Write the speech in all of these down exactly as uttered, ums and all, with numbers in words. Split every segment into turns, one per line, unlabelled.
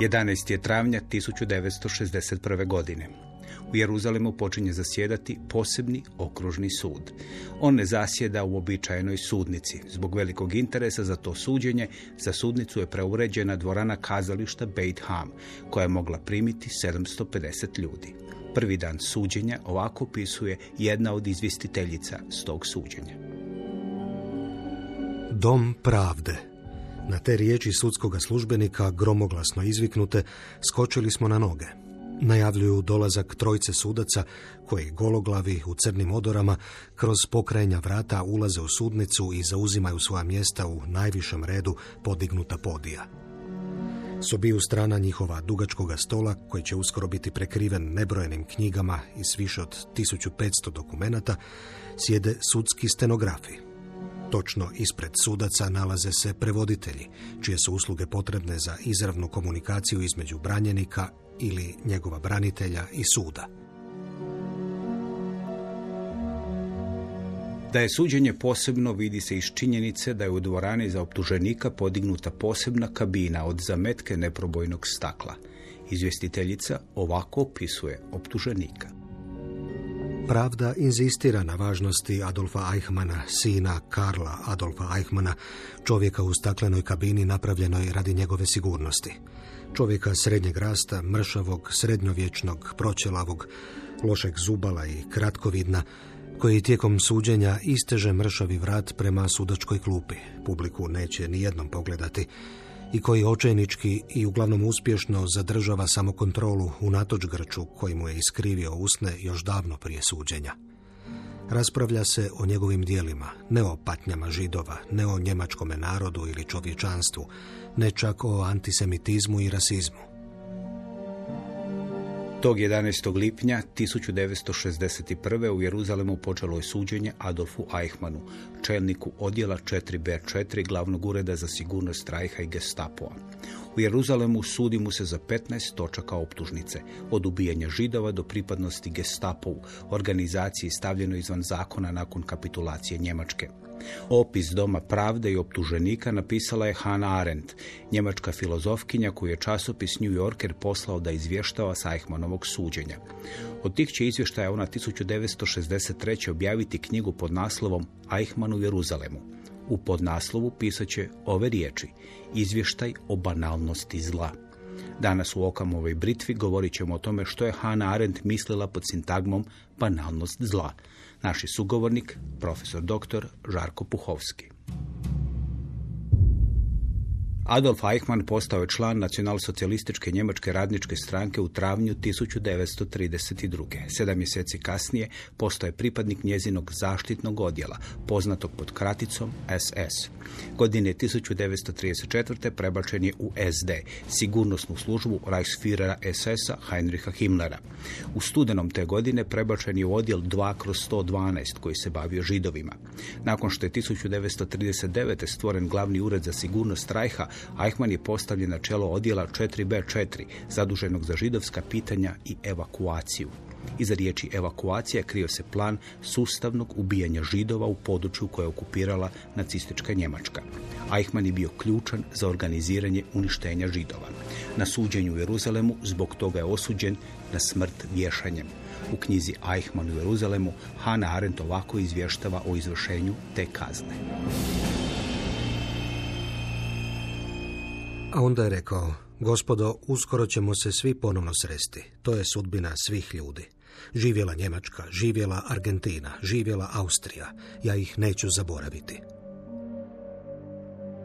jedanaestog travnja tisuću devetsto šezdeset prve. godine. U Jeruzalemu počinje zasjedati posebni okružni sud. On ne zasjeda u uobičajenoj sudnici. Zbog velikog interesa za to suđenje, za sudnicu je preuređena dvorana kazališta Beit Ham, koja je mogla primiti sedamsto pedeset ljudi. Prvi dan suđenja ovako opisuje jedna od izvjestiteljica s tog suđenja.
Dom pravde. Na te riječi sudskoga službenika, gromoglasno izviknute, skočili smo na noge. Najavljuju dolazak trojce sudaca koji gologlavi u crnim odorama kroz pokrajnja vrata ulaze u sudnicu i zauzimaju svoja mjesta u najvišem redu podignuta podija. S obiju strana njihova dugačkoga stola, koji će uskoro biti prekriven nebrojenim knjigama i s više od tisuću petsto dokumenata, sjede sudski stenografi. Točno ispred sudaca nalaze se prevoditelji, čije su usluge potrebne za izravnu komunikaciju između branjenika ili njegova branitelja i suda.
Da je suđenje posebno vidi se iz činjenice da je u dvorani za optuženika podignuta posebna kabina od zametke neprobojnog stakla. Izvjestiteljica ovako opisuje optuženika.
Pravda inzistira na važnosti Adolfa Eichmanna, sina Karla Adolfa Eichmanna, čovjeka u staklenoj kabini napravljenoj radi njegove sigurnosti. Čovjeka srednjeg rasta, mršavog, srednjovječnog, proćelavog, lošeg zubala i kratkovidna, koji tijekom suđenja isteže mršavi vrat prema sudačkoj klupi. Publiku neće ni jednom pogledati. I koji očajnički i uglavnom uspješno zadržava samokontrolu unatoč grču koji mu je iskrivio usne još davno prije suđenja. Raspravlja se o njegovim dijelima, ne o patnjama Židova, ne o njemačkome narodu ili čovječanstvu, ne čak o antisemitizmu i rasizmu.
Tog jedanaestog lipnja tisuću devetsto šezdeset prve. u Jeruzalemu počelo je suđenje Adolfu Eichmannu, čelniku odjela četiri be četiri glavnog ureda za sigurnost Reicha i Gestapoa. U Jeruzalemu sudi mu se za petnaest točaka optužnice, od ubijanja Židova do pripadnosti Gestapovu, organizaciji stavljenoj izvan zakona nakon kapitulacije Njemačke. Opis Doma pravde i optuženika napisala je Hannah Arendt, njemačka filozofkinja koju je časopis New Yorker poslao da izvještava sa Eichmannovog suđenja. Od tih će izvještaja ona tisuću devetsto šezdeset treće. objaviti knjigu pod naslovom Eichmann u Jeruzalemu. U podnaslovu pisat će ove riječi: izvještaj o banalnosti zla. Danas u Okamovoj britvi govorit ćemo o tome što je Hannah Arendt mislila pod sintagmom banalnost zla. Naš je sugovornik, profesor doktor Žarko Puhovski. Adolf Eichmann postao je član nacionalsocijalističke njemačke radničke stranke u travnju tisuću devetsto trideset druge. Sedam mjeseci kasnije postao je pripadnik njezinog zaštitnog odjela, poznatog pod kraticom es es. Godine tisuću devetsto trideset četvrte. prebačen je u es de, sigurnosnu službu Reichsführera es esa Heinricha Himmlera. U studenom te godine prebačen je u odjel dva kroz sto dvanaest koji se bavio Židovima. Nakon što je tisuću devetsto trideset devete. stvoren glavni ured za sigurnost Reicha, Eichmann je postavljen na čelo odjela četiri be četiri, zaduženog za židovska pitanja i evakuaciju. Iza riječi evakuacija krio se plan sustavnog ubijanja Židova u području koje je okupirala nacistička Njemačka. Eichmann je bio ključan za organiziranje uništenja Židova. Na suđenju u Jeruzalemu zbog toga je osuđen na smrt vješanjem. U knjizi Eichmann u Jeruzalemu Hannah Arendt ovako izvještava o izvršenju te kazne.
A onda je rekao: gospodo, uskoro ćemo se svi ponovno sresti. To je sudbina svih ljudi. Živjela Njemačka, živjela Argentina, živjela Austrija. Ja ih neću zaboraviti.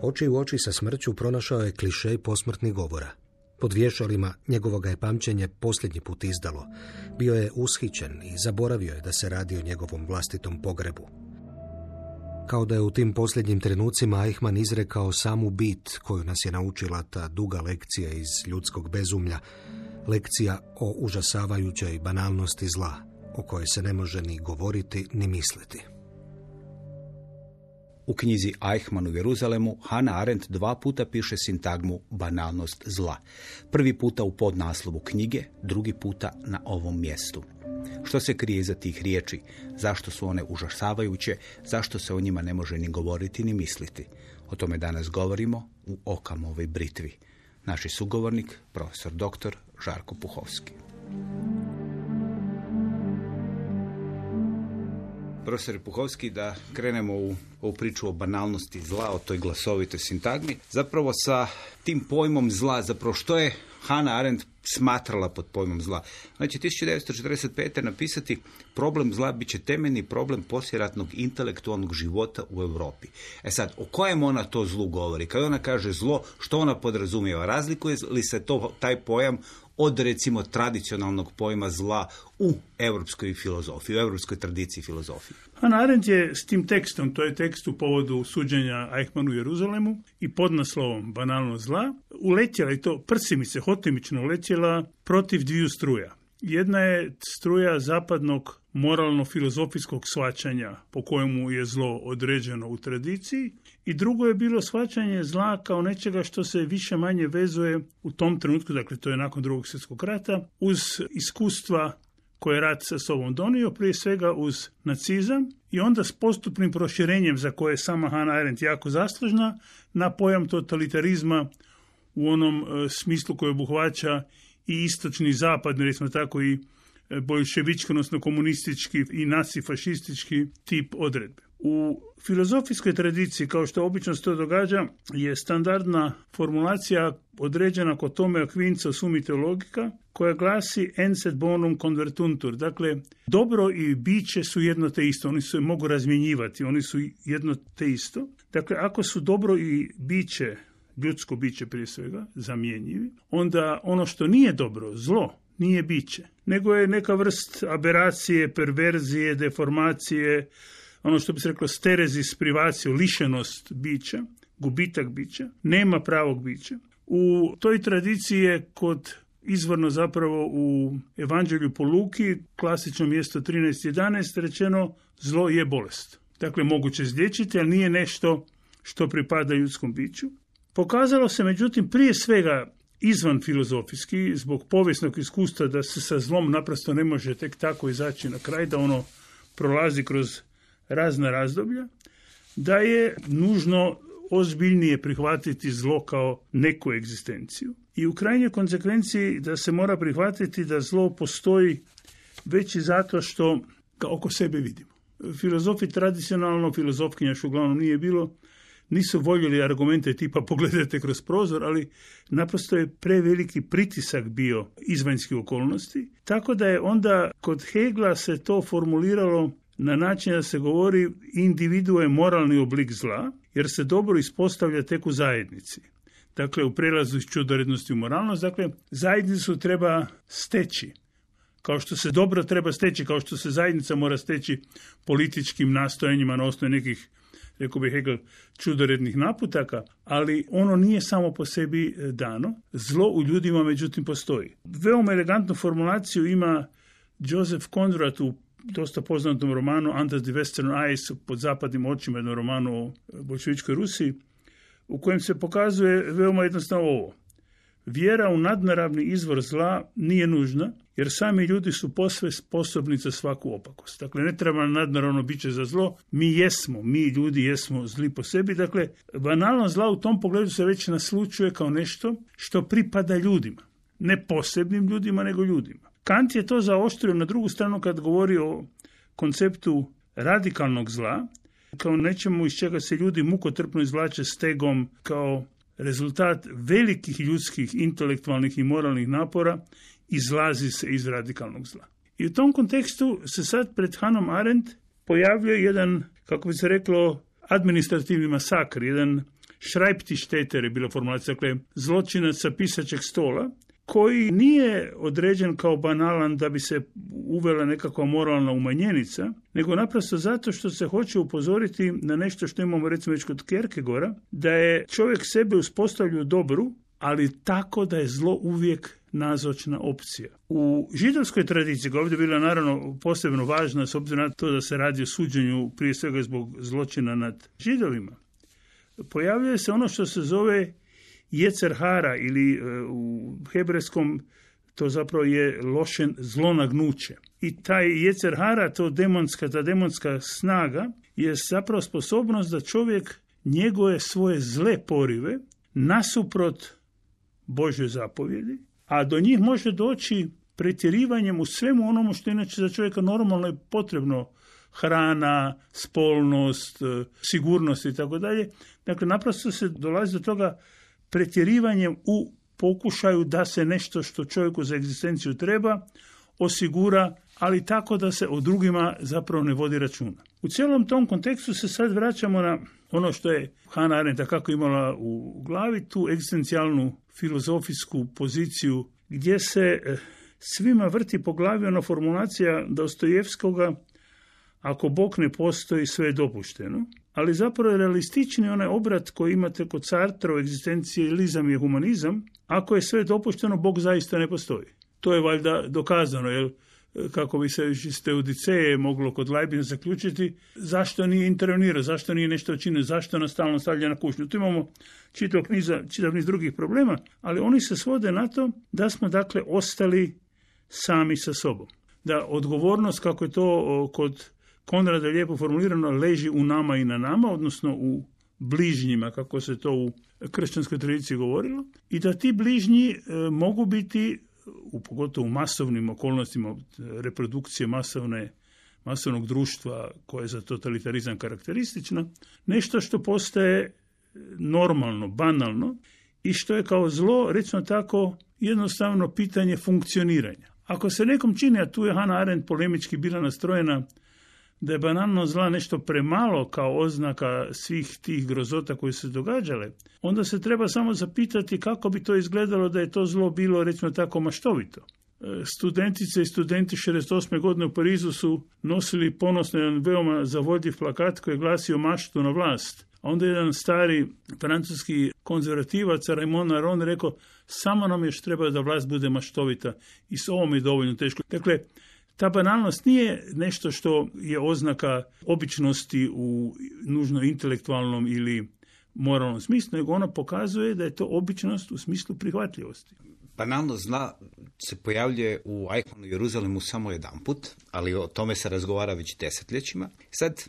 Oči u oči sa smrću pronašao je klišej posmrtnih govora. Pod vješalima njegovoga je pamćenje posljednji put izdalo. Bio je ushićen i zaboravio je da se radi o njegovom vlastitom pogrebu. Kao da je u tim posljednjim trenucima Eichmann izrekao samu bit koju nas je naučila ta duga lekcija iz ljudskog bezumlja, lekcija o užasavajućoj banalnosti zla, o kojoj se ne može ni govoriti ni misliti.
U knjizi Eichmann u Jeruzalemu Hannah Arendt dva puta piše sintagmu banalnost zla. Prvi puta u podnaslovu knjige, drugi puta na ovom mjestu. Što se krije iza tih riječi? Zašto su one užasavajuće? Zašto se o njima ne može ni govoriti ni misliti? O tome danas govorimo u Okamovoj britvi. Naš sugovornik, profesor doktor Žarko Puhovski. Profesor Puhovski, da krenemo u ovu priču o banalnosti zla, o toj glasovitoj sintagmi. Zapravo sa tim pojmom zla, zapravo što je Hannah Arendt smatrala pod pojmom zla. Znači, tisuću devetsto četrdeset pete napisati problem zla bit će temeljni problem poslijeratnog intelektualnog života u Europi. E sad, o kojem ona to zlu govori? Kad ona kaže zlo, što ona podrazumijeva? Razlikuje li se to, taj pojam od, recimo, tradicionalnog pojma zla u europskoj filozofiji, u europskoj tradiciji filozofije?
Hannah Arendt je s tim tekstom, to je tekst u povodu suđenja Eichmannu u Jeruzalemu i pod naslovom Banalnost zla, uletjela, i to prsimice, hotimično uletjela protiv dviju struja. Jedna je struja zapadnog moralno-filozofijskog shvaćanja po kojemu je zlo određeno u tradiciji i drugo je bilo shvaćanje zla kao nečega što se više manje vezuje u tom trenutku, dakle to je nakon drugog svjetskog rata, uz iskustva koje je rat sa sobom donio, prije svega uz nacizam i onda s postupnim proširenjem za koje je sama Hannah Arendt jako zaslužna na pojam totalitarizma u onom e, smislu koji obuhvaća i istočni zapad, recimo tako i bolševički, odnosno komunistički i nacifašistički tip odredbe. U filozofijskoj tradiciji, kao što obično se to događa, je standardna formulacija određena kod Tome Akvinca u Sumi Teologika, koja glasi ens et bonum convertuntur. Dakle, dobro i biće su jedno te isto, oni se mogu razmjenjivati, oni su jedno te isto. Dakle, ako su dobro i biće, ljudsko biće prije svega, zamjenjivi, onda ono što nije dobro, zlo, nije biće, nego je neka vrst aberacije, perverzije, deformacije, ono što bi se reklo sterezis privatio, lišenost bića, gubitak bića, nema pravog bića. U toj tradiciji je kod izvorno zapravo u Evanđelju po Luki, klasično mjesto trinaest jedanaest, rečeno zlo je bolest. Dakle, moguće izliječiti, ali nije nešto što pripada ljudskom biću. Pokazalo se, međutim, prije svega izvan filozofijski, zbog povijesnog iskustva da se sa zlom naprosto ne može tek tako izaći na kraj, da ono prolazi kroz razna razdoblja, da je nužno ozbiljnije prihvatiti zlo kao neku egzistenciju. I u krajnjoj konsekvenciji da se mora prihvatiti da zlo postoji već i zato što ga oko sebe vidimo. Filozofi tradicionalno, filozofkinja što uglavnom nije bilo, nisu voljeli argumente tipa pogledajte kroz prozor, ali naprosto je preveliki pritisak bio izvanjskih okolnosti, tako da je onda kod Hegla se to formuliralo na način da se govori individu je moralni oblik zla, jer se dobro ispostavlja tek u zajednici. Dakle, u prelazu iz čudorednosti u moralnost, dakle, zajednicu treba steći. Kao što se dobro treba steći, kao što se zajednica mora steći političkim nastojanjima na osnovi nekih, rekao bih Hegel, čudorednih naputaka, ali ono nije samo po sebi dano. Zlo u ljudima, međutim, postoji. Veoma elegantnu formulaciju ima Joseph Conrad u dosta poznatom romanu Under the Western Eyes, pod zapadnim očima, jednom romanu o bolševičkoj Rusiji, u kojem se pokazuje veoma jednostavno ovo. Vjera u nadnaravni izvor zla nije nužna, jer sami ljudi su posve sposobni za svaku opakost. Dakle, ne treba nadnaravno biće za zlo, mi jesmo, mi ljudi jesmo zli po sebi. Dakle, banalno zla u tom pogledu se već naslučuje kao nešto što pripada ljudima. Ne posebnim ljudima, nego ljudima. Kant je to zaoštrio na drugu stranu kad govori o konceptu radikalnog zla, kao nečemu iz čega se ljudi mukotrpno izvlače stegom kao rezultat velikih ljudskih, intelektualnih i moralnih napora, izlazi se iz radikalnog zla. I u tom kontekstu se sad pred Hannah Arendt pojavljuje jedan, kako bi se reklo, administrativni masakr, jedan Schreibtischtäter je bila formulacija, dakle zločinac sa pisaćeg stola, koji nije određen kao banalan da bi se uvela nekakva moralna umanjenica, nego naprosto zato što se hoće upozoriti na nešto što imamo recimo već kod Kierkegaarda, da je čovjek sebe uspostavlja u dobru, ali tako da je zlo uvijek nazočna opcija. U židovskoj tradiciji, koja je ovdje bila naravno posebno važna, s obzirom na to da se radi o suđenju prije svega zbog zločina nad Židovima, pojavljuje se ono što se zove Jecer hara ili u hebrejskom to zapravo je lošen zlonagnuće. I taj Jecer hara, to demonska, ta demonska snaga je zapravo sposobnost da čovjek njeguje svoje zle porive nasuprot Božje zapovjedi, a do njih može doći pretjerivanjem u svemu onomu što inače za čovjeka normalno je potrebno, hrana, spolnost, sigurnost i tako dalje. Dakle, naprosto se dolazi do toga pretjerivanjem u pokušaju da se nešto što čovjeku za egzistenciju treba osigura, ali tako da se o drugima zapravo ne vodi računa. U cijelom tom kontekstu se sad vraćamo na ono što je Hannah Arendt kako imala u glavi, tu egzistencijalnu filozofijsku poziciju gdje se svima vrti po glavi ona formulacija Dostojevskoga: ako Bog ne postoji, sve je dopušteno. Ali zapravo je realistični onaj obrat koji imate kod Sartra o egzistencijalizam i humanizam: ako je sve dopušteno, Bog zaista ne postoji. To je valjda dokazano, jer kako bi se iz Teodiceje moglo kod Leibniza zaključiti, zašto nije intervenirao, zašto nije nešto učinio, zašto nas stalno stavlja na kušnju. Tu imamo čitav niz, čitav niz drugih problema, ali oni se svode na to da smo dakle ostali sami sa sobom. Da odgovornost, kako je to kod Konrada lijepo formulirano, leži u nama i na nama, odnosno u bližnjima, kako se to u kršćanskoj tradiciji govorilo, i da ti bližnji e, mogu biti, u, pogotovo u masovnim okolnostima reprodukcije masovne, masovnog društva koje je za totalitarizam karakteristično, nešto što postaje normalno, banalno i što je kao zlo, recimo tako, jednostavno pitanje funkcioniranja. Ako se nekom čini, a tu je Hannah Arendt polemički bila nastrojena, da je banalno zla nešto premalo kao oznaka svih tih grozota koje se događale, onda se treba samo zapitati kako bi to izgledalo da je to zlo bilo, recimo tako, maštovito. Studentice i studenti šezdeset osme godine u Parizu su nosili ponosno jedan veoma zavodljiv plakat koji je glasio maštu na vlast. A onda jedan stari francuski konzervativac, Raymond Aron, rekao: samo nam još treba da vlast bude maštovita i s ovom je dovoljno teško. Dakle, ta banalnost nije nešto što je oznaka običnosti u nužno intelektualnom ili moralnom smislu, nego ona pokazuje da je to običnost u smislu prihvatljivosti.
Banalnost zla se pojavljuje u Eichmannu i Jeruzalemu samo jedanput, ali o tome se razgovara već desetljećima. Sad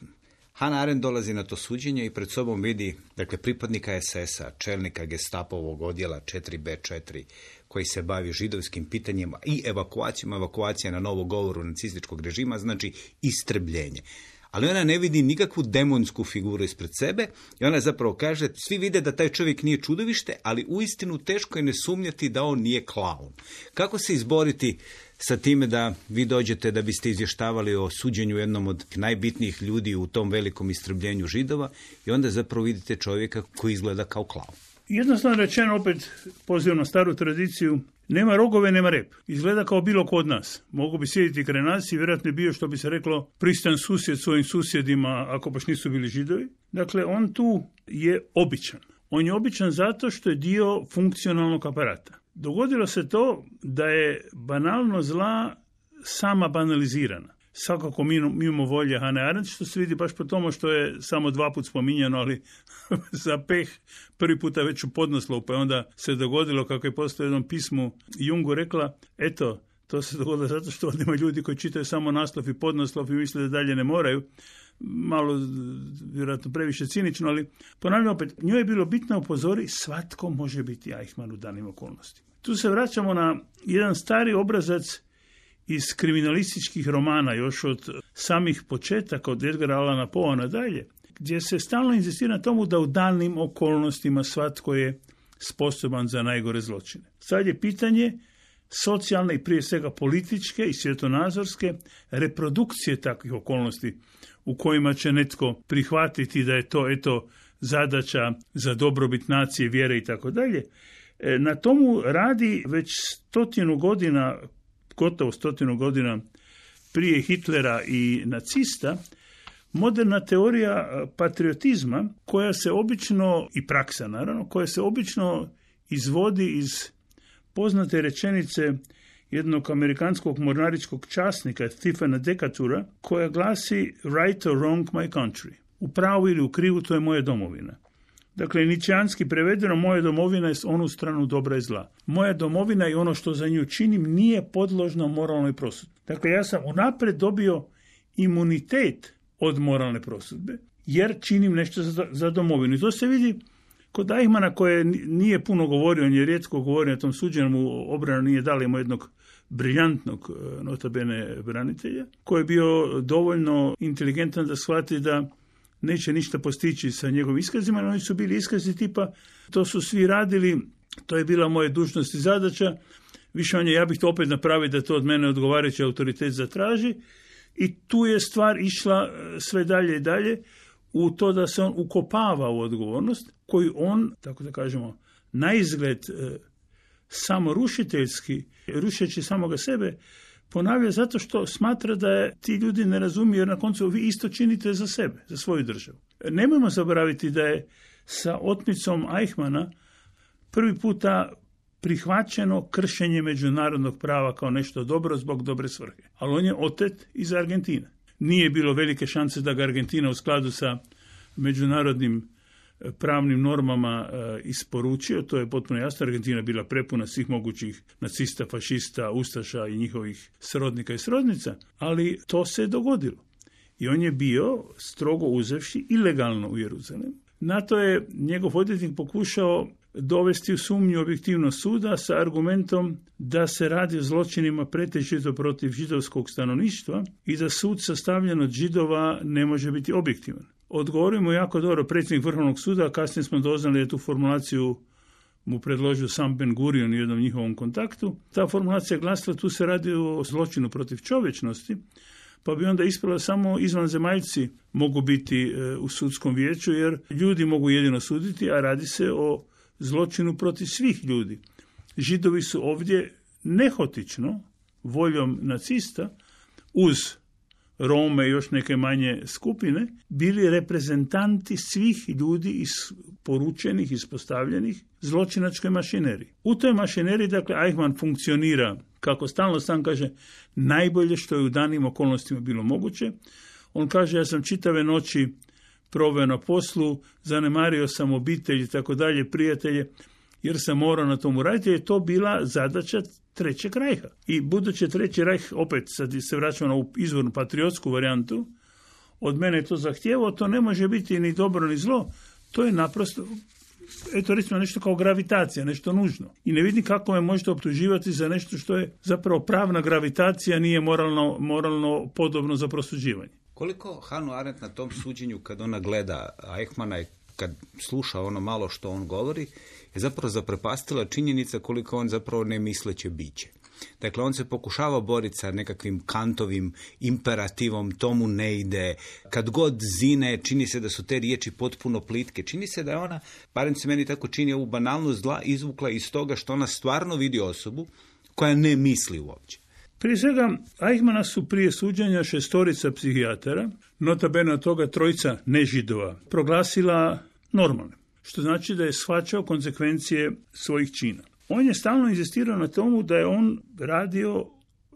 Hannah Arendt dolazi na to suđenje i pred sobom vidi, dakle, pripadnika es es a, čelnika Gestapovog odjela četiri be četiri, koji se bavi židovskim pitanjima i evakuacijama. Evakuacija na novo govoru nacističkog režima znači istrebljenje. Ali ona ne vidi nikakvu demonsku figuru ispred sebe i ona zapravo kaže, svi vide da taj čovjek nije čudovište, ali uistinu teško je ne sumnjati da on nije klaun. Kako se izboriti sa time da vi dođete da biste izvještavali o suđenju jednom od najbitnijih ljudi u tom velikom istrebljenju Židova i onda zapravo vidite čovjeka koji izgleda kao klaun?
Jednostavno rečeno, opet pozivam na staru tradiciju, nema rogove, nema rep. Izgleda kao bilo ko od nas. Mogu bi sjediti kraj nas i vjerojatno je bio, što bi se reklo, pristan susjed svojim susjedima, ako baš nisu bili Židovi. Dakle, on tu je običan. On je običan zato što je dio funkcionalnog aparata. Dogodilo se to da je banalno zla sama banalizirana. Svakako mimo volje Hannah Arendt, što se vidi baš po tomu što je samo dva put spominjano, ali za peh prvi puta već u podnaslovu, pa je onda se dogodilo, kako je postoje u jednom pismu Jungu rekla, eto, to se dogodilo zato što ovdje ima ljudi koji čitaju samo naslov i podnaslov i misle da dalje ne moraju. Malo, vjerojatno previše cinično, ali ponavljam opet, njoj je bilo bitno upozori, svatko može biti Eichmann u danim okolnostima. Tu se vraćamo na jedan stari obrazac iz kriminalističkih romana, još od samih početaka, od Edgara Allana Poea nadalje, gdje se stalno inzistira na tomu da u danim okolnostima svatko je sposoban za najgore zločine. Sad je pitanje socijalne i prije svega političke i svjetonazorske reprodukcije takvih okolnosti u kojima će netko prihvatiti da je to eto zadaća za dobrobit nacije, vjere i tako dalje. Na tomu radi već stotinu godina, gotovo stotinu godina prije Hitlera i nacista, moderna teorija patriotizma koja se obično, i praksa naravno, koja se obično izvodi iz poznate rečenice jednog amerikanskog mornaričkog časnika Stephena Decatura, koja glasi right or wrong my country. U pravu ili u krivu, to je moja domovina. Dakle, ničeanski prevedeno, moja domovina je s onu stranu dobra i zla. Moja domovina i ono što za nju činim nije podložno moralnoj prosudbi. Dakle, ja sam unaprijed dobio imunitet od moralne prosudbe, jer činim nešto za, za domovinu. I to se vidi Kod Eichmanna, koje nije puno govorio, on je rijetko govorio na tom suđenju, mu obrana nije dala, ima jednog briljantnog notabene branitelja, koji je bio dovoljno inteligentan da shvati da neće ništa postići sa njegovim iskazima, no oni su bili iskazi tipa, to su svi radili, to je bila moja dužnost i zadaća, više manje ja bih to opet napravio da to od mene odgovarajući autoritet zatraži, i tu je stvar išla sve dalje i dalje u to da se on ukopava u odgovornost, koju on, tako da kažemo, na izgled samorušiteljski, rušeći samoga sebe, ponavlja zato što smatra da je, ti ljudi ne razumiju, jer na koncu vi isto činite za sebe, za svoju državu. Nemojmo zaboraviti da je sa otmicom Eichmanna prvi puta prihvaćeno kršenje međunarodnog prava kao nešto dobro zbog dobre svrhe. Ali on je otet iz Argentine. Nije bilo velike šanse da ga Argentina u skladu sa međunarodnim pravnim normama e, isporučio, to je potpuno jasno. Argentina bila prepuna svih mogućih nacista, fašista, ustaša i njihovih srodnika i srodnica, ali to se je dogodilo. I on je bio, strogo uzevši, ilegalno u Jeruzalemu. Na to je njegov odvjetnik pokušao dovesti u sumnju objektivnost suda sa argumentom da se radi o zločinima pretežito protiv židovskog stanovništva i da sud sastavljen od Židova ne može biti objektivan. Odgovorimo jako dobro predsjednik Vrhovnog suda, a kasnije smo doznali da je tu formulaciju mu predložio sam Ben Gurion u jednom njihovom kontaktu. Ta formulacija glasila, tu se radi o zločinu protiv čovječnosti, pa bi onda ispravila samo izvanzemaljci mogu biti e, u sudskom vijeću, jer ljudi mogu jedino suditi, a radi se o zločinu protiv svih ljudi. Židovi su ovdje nehotično, voljom nacista, uz Rome i još neke manje skupine, bili reprezentanti svih ljudi isporučenih, ispostavljenih zločinačkoj mašineriji. U toj mašineriji, dakle, Eichmann funkcionira, kako stalno sam kaže, najbolje što je u danim okolnostima bilo moguće. On kaže, ja sam čitave noći proveo na poslu, zanemario sam obitelj i tako dalje, prijatelje, jer sam morao na tomu raditi, je to bila zadaća Trećeg rajha. I budući Treći rajh, opet sad se vraćamo na ovu izvornu patriotsku varijantu, od mene je to zahtijevao, to ne može biti ni dobro ni zlo, to je naprosto, eto recimo nešto kao gravitacija, nešto nužno. I ne vidim kako me možete optuživati za nešto što je zapravo pravna gravitacija, nije moralno, moralno podobno za prosuđivanje.
Koliko Hannah Arendt na tom suđenju, kad ona gleda Eichmanna i kad sluša ono malo što on govori, je zapravo zaprepastila činjenica koliko on zapravo nemisleće biće. Dakle, on se pokušava boriti sa nekakvim Kantovim imperativom, tomu ne ide. Kad god zine, čini se da su te riječi potpuno plitke. Čini se da je ona, barem se meni tako čini, ovu banalnost zla izvukla iz toga što ona stvarno vidi osobu koja ne misli uopće.
Prije svega, Eichmanna su prije suđenja šestorica psihijatara, nota bene od toga trojica nežidova, proglasila normalne, što znači da je shvaćao konsekvencije svojih čina. On je stalno inzistirao na tomu da je on radio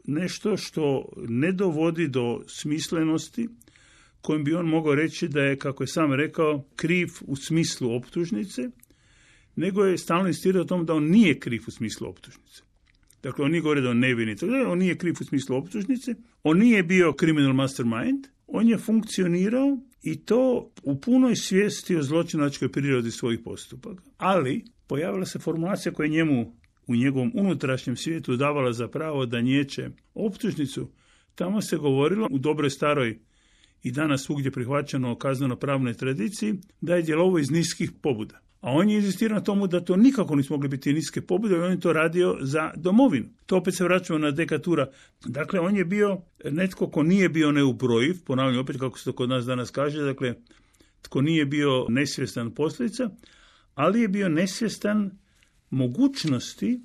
nešto što ne dovodi do smislenosti, kojim bi on mogao reći da je, kako je sam rekao, kriv u smislu optužnice, nego je stalno inzistirao o tom da on nije kriv u smislu optužnice. Dakle, on nije govorio da on nevini, on nije kriv u smislu optužnice, on nije bio criminal mastermind, on je funkcionirao i to u punoj svijesti o zločinačkoj prirodi svojih postupaka. Ali pojavila se formulacija koja njemu u njegovom unutrašnjem svijetu davala za pravo da niječe optužnicu. Tamo se govorilo u dobroj staroj i danas svugdje prihvaćeno kazneno-pravnoj tradiciji da je djelovao iz niskih pobuda. A on je inzistirao na tomu da to nikako nisu mogli biti niske pobude, i on je to radio za domovinu. To opet se vraćamo na dekatura. Dakle, on je bio netko ko nije bio neubrojiv, ponavljam opet kako se to kod nas danas kaže, dakle, tko nije bio nesvjestan posljedica, ali je bio nesvjestan mogućnosti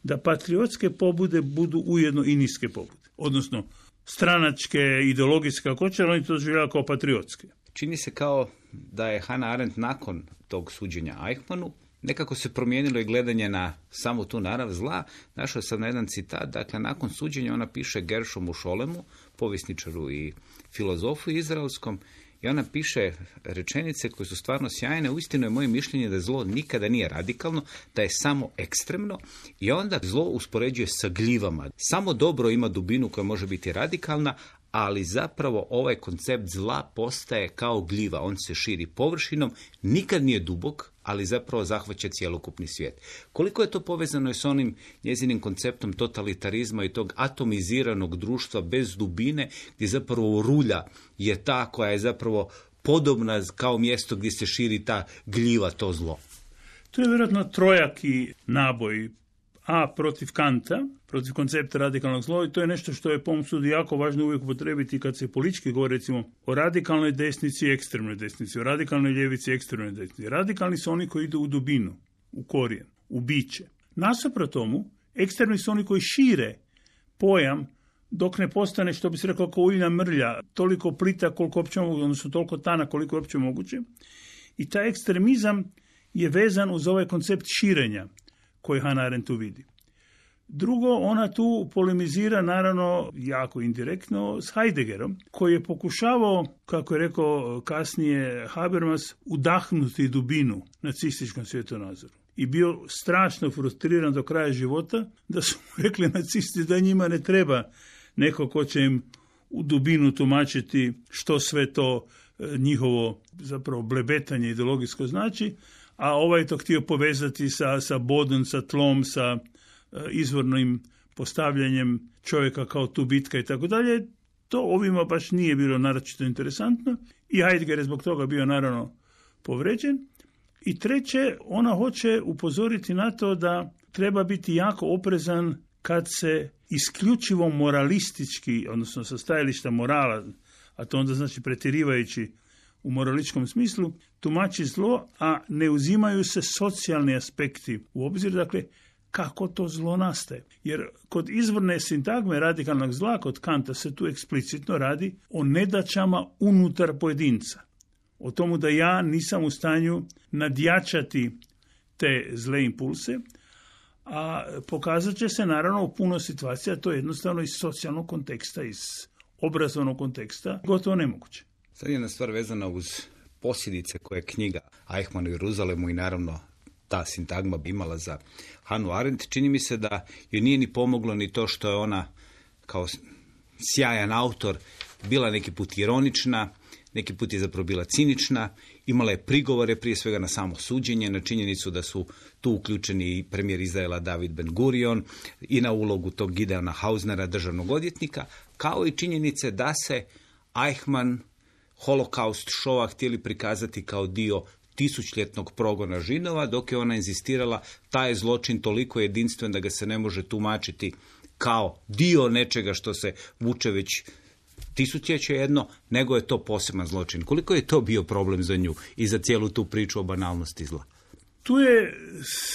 da patriotske pobude budu ujedno i niske pobude. Odnosno, stranačke, ideologijske, kako će, oni to doživljavaju kao patriotske.
Čini se kao da je Hannah Arendt nakon tog suđenja Eichmannu nekako se promijenilo i gledanje na samu tu narav zla. Našao sam na jedan citat, dakle, nakon suđenja ona piše Gershomu Scholemu, povjesničaru i filozofu izraelskom, i ona piše rečenice koje su stvarno sjajne. Uistinu je moje mišljenje da zlo nikada nije radikalno, da je samo ekstremno, i onda zlo uspoređuje sa gljivama. Samo dobro ima dubinu koja može biti radikalna, ali zapravo ovaj koncept zla postaje kao gljiva. On se širi površinom, nikad nije dubok, ali zapravo zahvaća cjelokupni svijet. Koliko je to povezano i s onim njezinim konceptom totalitarizma i tog atomiziranog društva bez dubine, gdje zapravo rulja je ta koja je zapravo podobna kao mjesto gdje se širi ta gljiva, to zlo.
To je vjerojatno trojaki naboj. A protiv Kanta, protiv koncepta radikalnog zla, i to je nešto što je po mom sudu jako važno uvijek upotrebiti kad se politički govori, recimo, o radikalnoj desnici i ekstremnoj desnici, o radikalnoj ljevici i ekstremnoj desnici. Radikalni su oni koji idu u dubinu, u korijen, u biće. Nasuprot tomu, ekstremni su oni koji šire pojam dok ne postane, što bi se rekao, kao uljna mrlja, toliko plita koliko uopće moguće, odnosno toliko tana koliko je uopće moguće. I taj ekstremizam je vezan uz ovaj koncept širenja koji Hannah Arendt tu vidi. Drugo, ona tu polemizira, naravno, jako indirektno, s Heideggerom, koji je pokušavao, kako je rekao kasnije Habermas, udahnuti dubinu nacističkom svjetonazoru. I bio strašno frustriran do kraja života, da su mu rekli nacisti da njima ne treba neko ko će im u dubinu tumačiti što sve to njihovo zapravo blebetanje ideologijsko znači, a ovaj je to htio povezati sa, sa bodom, sa tlom, sa uh, izvornim postavljanjem čovjeka kao tu bitka i tako dalje. To ovima baš nije bilo naročito interesantno i Heidegger je zbog toga bio naravno povređen. I treće, ona hoće upozoriti na to da treba biti jako oprezan kad se isključivo moralistički, odnosno sa stajališta morala, a to onda znači pretjerivajući u moraličkom smislu, tumači zlo, a ne uzimaju se socijalni aspekti u obzir, dakle, kako to zlo nastaje. Jer kod izvorne sintagme radikalnog zla, kod Kanta, se tu eksplicitno radi o nedaćama unutar pojedinca. O tomu da ja nisam u stanju nadjačati te zle impulse, a pokazat će se naravno u puno situacija, to je jednostavno iz socijalnog konteksta, iz obrazovnog konteksta, gotovo nemoguće.
Sad je jedna stvar vezana uz posljedice koje je knjiga Eichmann u Jeruzalemu i naravno ta sintagma bi imala za Hannah Arendt. Čini mi se da joj nije ni pomoglo ni to što je ona kao sjajan autor bila neki put ironična, neki put je zapravo bila cinična, imala je prigovore prije svega na samo suđenje, na činjenicu da su tu uključeni i premijer Izraela David Ben Gurion i na ulogu tog Gideona Hausnera, državnog odvjetnika, kao i činjenice da se Eichmann holokaust šova htjeli prikazati kao dio tisućljetnog progona Židova, dok je ona inzistirala taj je zločin toliko jedinstven da ga se ne može tumačiti kao dio nečega što se vuče već tisućljeće jedno, nego je to poseban zločin. Koliko je to bio problem za nju i za cijelu tu priču o banalnosti zla?
Tu je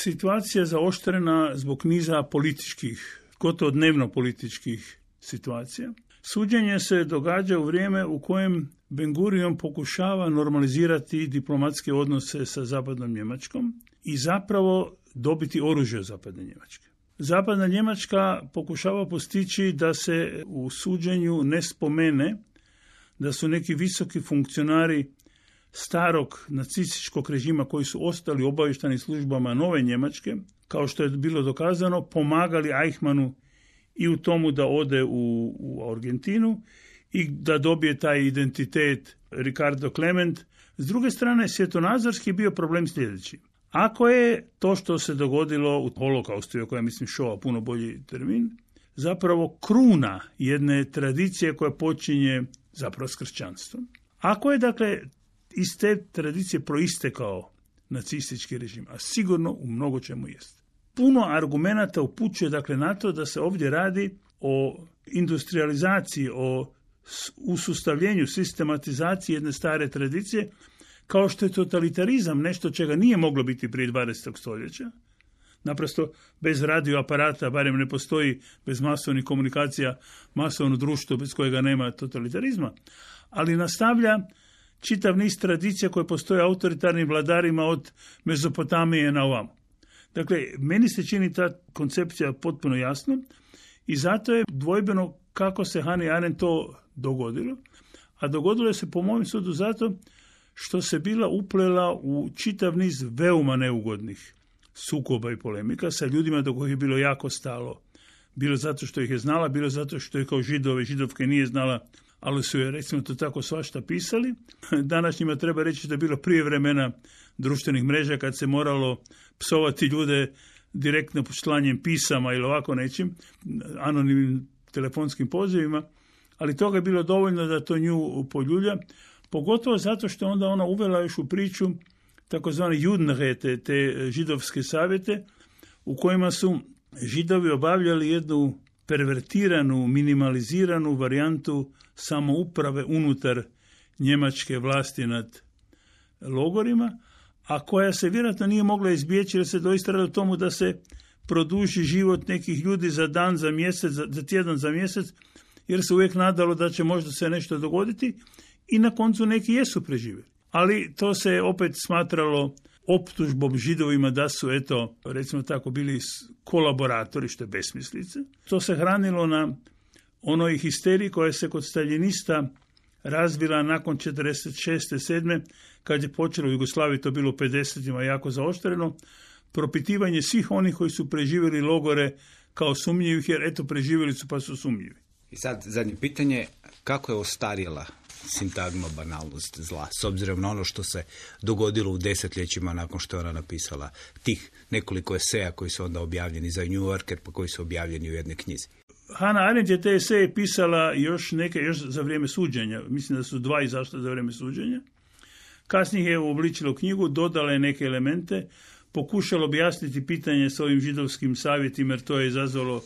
situacija zaoštrena zbog niza političkih, gotovo dnevno političkih situacija. Suđenje se događa u vrijeme u kojem Ben Gurion pokušava normalizirati diplomatske odnose sa zapadnom Njemačkom i zapravo dobiti oružje od zapadne Njemačke. Zapadna Njemačka pokušava postići da se u suđenju ne spomene da su neki visoki funkcionari starog nacističkog režima koji su ostali u obavještajnim službama nove Njemačke, kao što je bilo dokazano, pomagali Eichmannu i u tomu da ode u, u Argentinu i da dobije taj identitet Ricardo Klement. S druge strane, svjetonazorski je bio problem sljedeći. Ako je to što se dogodilo u holokaustu, iako ja mislim šova puno bolji termin, zapravo kruna jedne tradicije koja počinje zapravo s kršćanstvom. Ako je, dakle, iz te tradicije proistekao nacistički režim, a sigurno u mnogo čemu jest. Puno argumenata upućuje, dakle, na to da se ovdje radi o industrializaciji, o usustavljenju, sistematizaciji jedne stare tradicije, kao što je totalitarizam nešto čega nije moglo biti prije dvadesetog stoljeća. Naprosto bez radioaparata, barem ne postoji bez masovnih komunikacija masovno društvo bez kojega nema totalitarizma, ali nastavlja čitav niz tradicija koje postoje autoritarnim vladarima od Mezopotamije na ovamo. Dakle, meni se čini ta koncepcija potpuno jasno i zato je dvojbeno kako se Hannah Arendt to dogodilo, a dogodilo se po mojem sudu zato što se bila uplela u čitav niz veoma neugodnih sukoba i polemika sa ljudima do kojih je bilo jako stalo. Bilo zato što ih je znala, bilo zato što je kao Židove i Židovke nije znala, ali su je, recimo to tako, svašta pisali. Današnjima treba reći da je bilo prije vremena društvenih mreža kad se moralo psovati ljude direktno slanjem pisama ili ovako nečim, anonimnim telefonskim pozivima, ali toga je bilo dovoljno da to nju poljulja, pogotovo zato što onda ona uvela još u priču takozvane Judenräte, te židovske savjete, u kojima su Židovi obavljali jednu pervertiranu, minimaliziranu varijantu samouprave unutar njemačke vlasti nad logorima, a koja se vjerojatno nije mogla izbjeći jer se doista radi o tomu da se produži život nekih ljudi za dan, za mjesec, za, za tjedan, za mjesec, jer se uvijek nadalo da će možda se nešto dogoditi i na koncu neki jesu preživjeli. Ali to se opet smatralo optužbom Židovima da su, eto, recimo tako, bili kolaboratori, što je besmislice. To se hranilo na onoj histeriji koja se kod staljinista razvila nakon četrdeset šeste sedme kad je počelo u Jugoslaviji, to bilo u pedesetima jako zaoštreno, propitivanje svih onih koji su preživjeli logore kao sumnjivih, jer eto, preživjeli su pa su sumnjivi.
I sad zadnje pitanje, kako je ostarjela sintagma banalnost zla, s obzirom na ono što se dogodilo u desetljećima nakon što je ona napisala tih nekoliko eseja koji su onda objavljeni za New Yorker, pa koji su objavljeni u jednoj knjizi?
Hannah Arendt je te eseje pisala još neke, još za vrijeme suđenja. Mislim da su dva izašla za vrijeme suđenja. Kasnije je uobličila knjigu, dodala je neke elemente, pokušala objasniti pitanje s ovim židovskim savjetima, jer to je izazvalo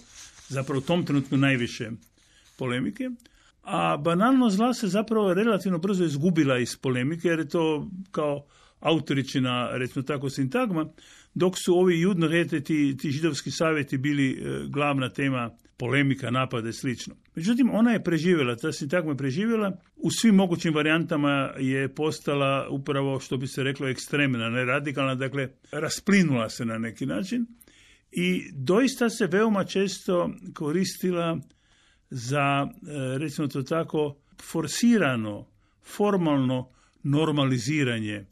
zapravo u tom trenutku najviše polemike. A banalnost zla se zapravo relativno brzo izgubila iz polemike, jer je to kao autoričina, recimo tako, sintagma, dok su ovi Judenräte, ti, ti židovski savjeti, bili e, glavna tema polemika, napada i slično. Međutim, ona je preživjela, ta sintagma je preživjela, u svim mogućim varijantama je postala upravo, što bi se reklo, ekstremna, ne radikalna, dakle, rasplinula se na neki način i doista se veoma često koristila za, recimo to tako, forsirano, formalno normaliziranje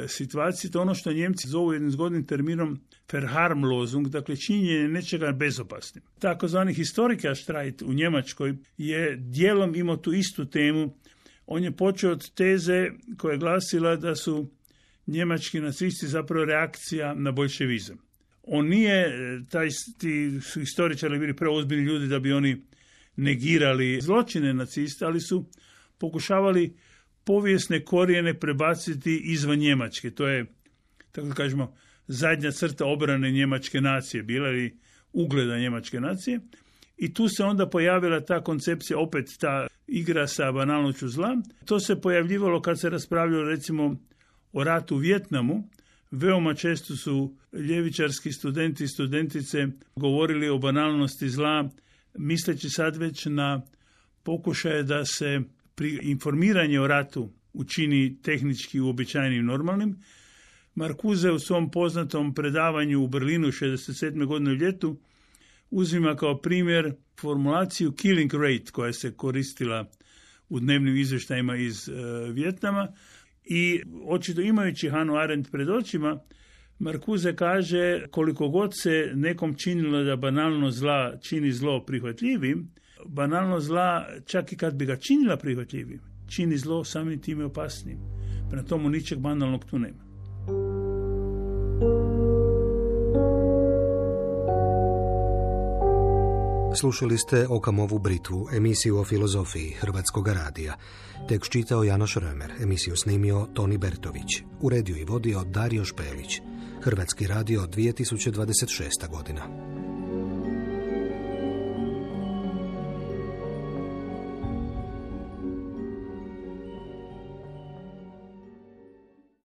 situacije. To je ono što Njemci zovu jednim zgodnim terminom Verharmlosung, dakle činjenje nečega bezopasnim. Takozvani Historikerstreit u Njemačkoj je dijelom imao tu istu temu. On je počeo od teze koja je glasila da su njemački nacisti zapravo reakcija na boljševizam. On nije, taj, ti su historičari bili preozbiljni ljudi da bi oni negirali zločine nacista, ali su pokušavali povijesne korijene prebaciti izvan Njemačke. To je, tako da kažemo, zadnja crta obrane njemačke nacije, bila ili ugleda njemačke nacije. I tu se onda pojavila ta koncepcija, opet ta igra sa banalnošću zla. To se pojavljivalo kad se raspravljalo, recimo, o ratu u Vijetnamu. Veoma često su ljevičarski studenti i studentice govorili o banalnosti zla, misleći sad već na pokušaje da se pri informiranje o ratu učini tehnički uobičajenim normalnim. Marcuse u svom poznatom predavanju u Berlinu šezdeset sedme godine u ljetu uzima kao primjer formulaciju killing rate koja se koristila u dnevnim izvještajima iz uh, Vijetnama i očito imajući Hannah Arendt pred očima, Marcuse kaže koliko god se nekom činilo da banalno zla čini zlo prihvatljivim, banalno zla, čak i kad bi ga činila prihvatljivim, čini zlo samim time opasnim. Prema tomu ničeg banalnog tu nema.
Slušali ste Okamovu Britvu, emisiju o filozofiji Hrvatskog radija. Tekst čitao Janoš Römer, emisiju snimio Toni Bertović, uredio i vodio Dario Špelić. Hrvatski radio dvije tisuće dvadeset šesta godina.